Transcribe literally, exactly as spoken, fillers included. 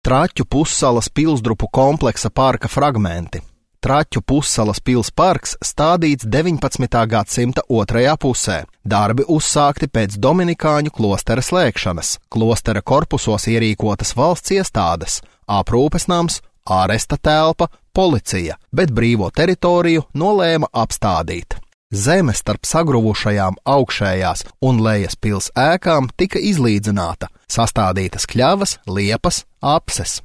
Traķu pussalas pilsdrupu kompleksa parka fragmenti. Traķu pussalas pils parks stādīts deviņpadsmitā gadsimta otrajā pusē. Darbi uzsākti pēc Dominikāņu klostera slēgšanas. Klostera korpusos ierīkotas valsts iestādes, aprūpes nams, āresta telpa, policija, bet brīvo teritoriju nolēma apstādīt. Zeme starp sagruvušajām augšējās un lejas pils ēkām tika izlīdzināta, sastādītas kļavas, liepas, apses.